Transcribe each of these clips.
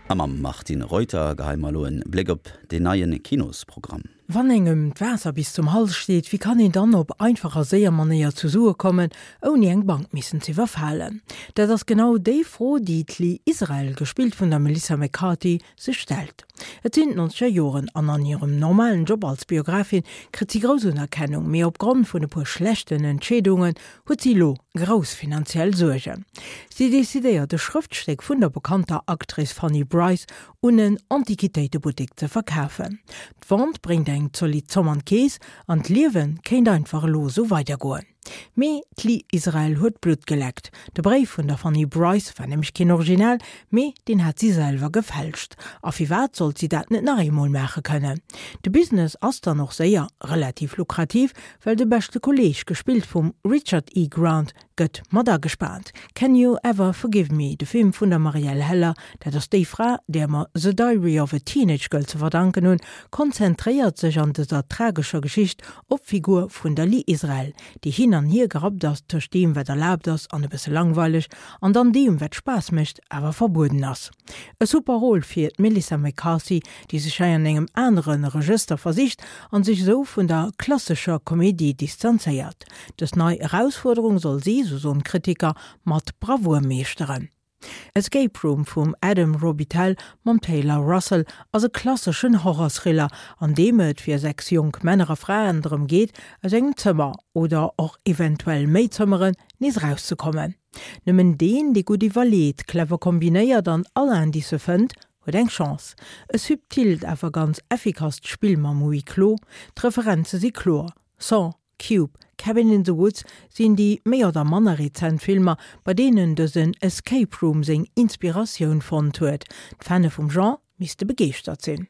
A mam Martine Reuter geheie mer elo en Bléck op deen neien Kinosprogramm. Wann engem d'Waasser bis zum Hals steet, wéi kann een dann op einfach a séier Manéier zu Sue kommen, ouni eng Bank missen z'iwwerfalen? Dat ass genau déi Fro, déi d'Lee Israel, gespillt vun der Melissa McCarthy, sech stellt. Et sinn d'nonzeger Joren an an hirem normalen Job als Biografin kritt si grouss Unerkennung, mee opgrond vun e puer schlechten Entscheedungen huet si lo grouss finanziell Suergen. Si decidéiert e Schrëftstéck vun der bekannter Actrice Fanny Brice un en Antiquitéitebuttek ze verkafen. D'Vente bréngt eng zolidd Zomm an d'Keess an d'Liewe kéint einfach elo esou weidergoen. Mee d'Lee Israel huet Blutt geleckt. De Bréif vun der Fanny Brice war nämlech keen Original, mee deen hat si selwer gefälscht. A firwat sollt si dat net nach eemol maache kënnen? De Business ass dann och séier relativ lukrativ, well de beschte Kolleeg, gespillt vum Richard E. Grant, gëtt mat agespaant. Can You Ever Forgive Me, de Film vun der Marielle Heller, dat ass déi Fra, där mer The Diary of a Teenage Girl ze verdanken hunn, konzentréiert sech an dëser tragescher Geschicht op d'Figur vun der Lee Israel, déi hin an hier gerappt ass tëscht deem, wat erlaabt ass an e bësse langweileg, an dann deem, wat Spaass mécht, awer verbueden ass. E super Rôle fir d'Melissa McCarthy, déi sech hei an engem anere Regëster versicht an sech esou vun der klassescher Komedie distanzéiert. Dës nei Erausfuerderung soll si, sou soen d'Kritiker, mat Bravour meeschteren. Escape Room vum Adam Robitel mam Taylor Russell ass e klasseschen Horror-Thriller, an deem et fir 6 jonk Männer a Fraen drëm geet, aus engem Zëmmer, oder och eventuell méi Zëmmeren, nees erauszekommen. Nëmmen deen, dee gutt iwwerleet, clever kombinéiert an all Indicë fënnt, huet eng Chance. E subtilt, awer ganz effikasst Spill mam Huis clos. D'Referenze si kloer, Saw, Cube, Cabin in the Woods sinn déi méi oder manner rezent Filmer, bei deenen dësen Escape Room seng Inspiratioun fonnt huet. D'Fanne vum Genre misste begeeschtert sinn.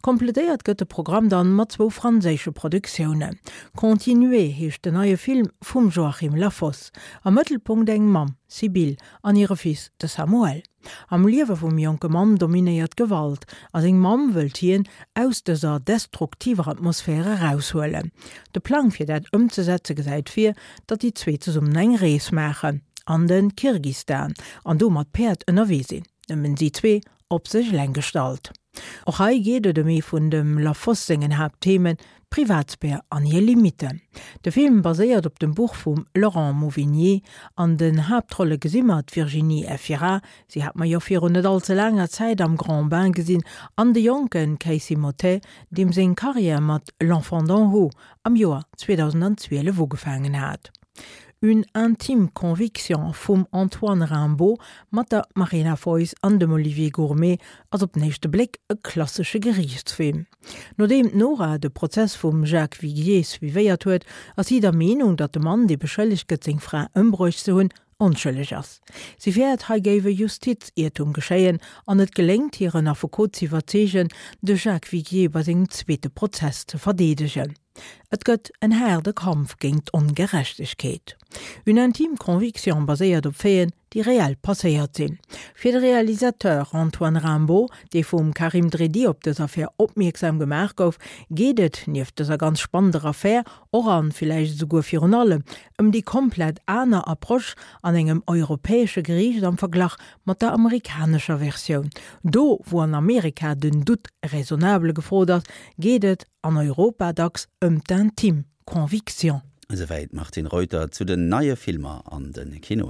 Kompletéiert gëtt de Programm dann mat zwou franséische Produktiounen. Continuer heescht den neie Film vum Joachim Lafosse. Am Mëttelpunkt eng Mamm, Sibylle, an hire Fils, de Samuel. Am Liewe vum jonke Mann dominéiert d'Gewalt a seng Mamm wëllt hien aus dëser destruktiver Atmosphär eraushuelen. De Plang fir dat ëmzesetze gesäit vir, datt déi zwee zesummen eng Rees maachen an de Kirgistan an do mat Päerd ënnerwee sinn, nëmmen si zwee, op sech eleng gestallt. Och hei geet et ëm ee vun dem Lafosse sengen Haaptthemen, d'Privatsphär an hir Limitten. De Film baséiert op dem Buch vum Laurent Mauvignier. An den Haaptrolle gesi mer d'Virginie Efira, si hat mer jo virun net all ze laanger Zäit am Grand Bain gesinn, an de jonke Casey Mottet, deem seng Karriär mat L'Enfant d'en haut am Joer 2012 ugefaangen hat. Une intime conviction vum Antoine Rimbaud mat der Marina Foïs an dem Olivier Gourmet ass op den éischte Bléck e klassesche Geriichtsfilm. Nodeem d'Nora de Prozess vum Jacques Viguier suivéiert huet, ass si der Meenung, datt de Mann, dee beschëllegt gëtt seng Fra ëmbruecht ze hunn, onschëlleg ass. Si fäert, hei géif e Justiziertum geschéien an et geléngt hir en Affekot z'iwwerzeegen, de Jacques Viguier bei sengem zweete Prozess ze verdeedegen. Et gëtt en haarde Kampf géint d'Ongerechtegkeet. Une intime conviction baséiert op Faiten, déi reell passéiert sinn. Fir de Realisateur Antoine Rimbaud, dee vum Karim Dridi op dës Affär opmierksam gemaach gouf, geet et, nieft dëser ganz spannender Affär, och an villäicht esouguer virun allem, ëm déi komplett aner Approche an engem europäesche Geriicht am Verglach mat der amerikanescher Versioun. Do, wou an Amerika den Doute raisonnable gefrot ass, geet et an Europa dacks ëm d'intime Conviction. Esouwäit d'Martine Reuter zu den neie Filmer an de Kinoen.